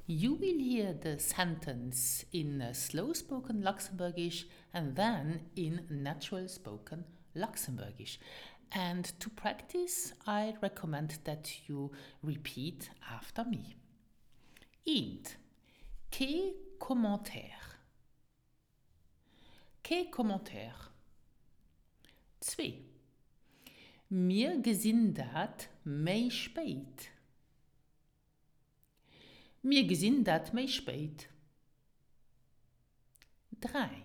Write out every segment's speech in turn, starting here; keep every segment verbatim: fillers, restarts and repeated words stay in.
You will hear the sentence in slow spoken Luxembourgish and then in natural spoken Luxembourgish. And to practice, I recommend that you repeat after me. Eent, Kee Commentaire. Kee Commentaire. Zwee, Mir gesinn dat méi spéit. Mir gesinn dat méi spéit. Dräi,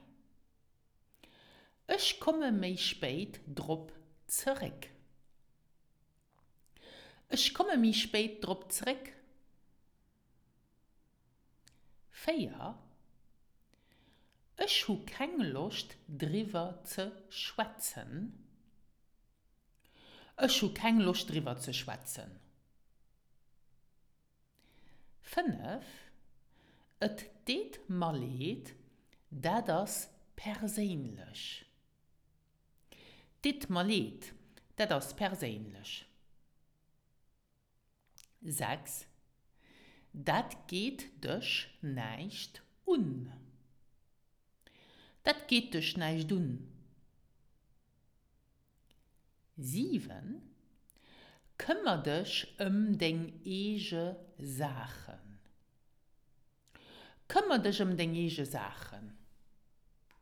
Ech komme méi spéit drop zeréck. Ech komme méi spéit drop zeréck. Véier, Ech hu keng Loscht driwwer ze schwätzen. Ech hu keng Loscht driwwer ze schwätzen. Fënnef, Et deet mer leed, dat ass perséinlech. Deet mer leed, dat ass perséinlech. Sechs, Dat geet dech näischt un. Dat geet dech näischt un. Siwen, Këmmer dech ëm deng eege Saachen. Këmmer dech ëm deng eege Saachen.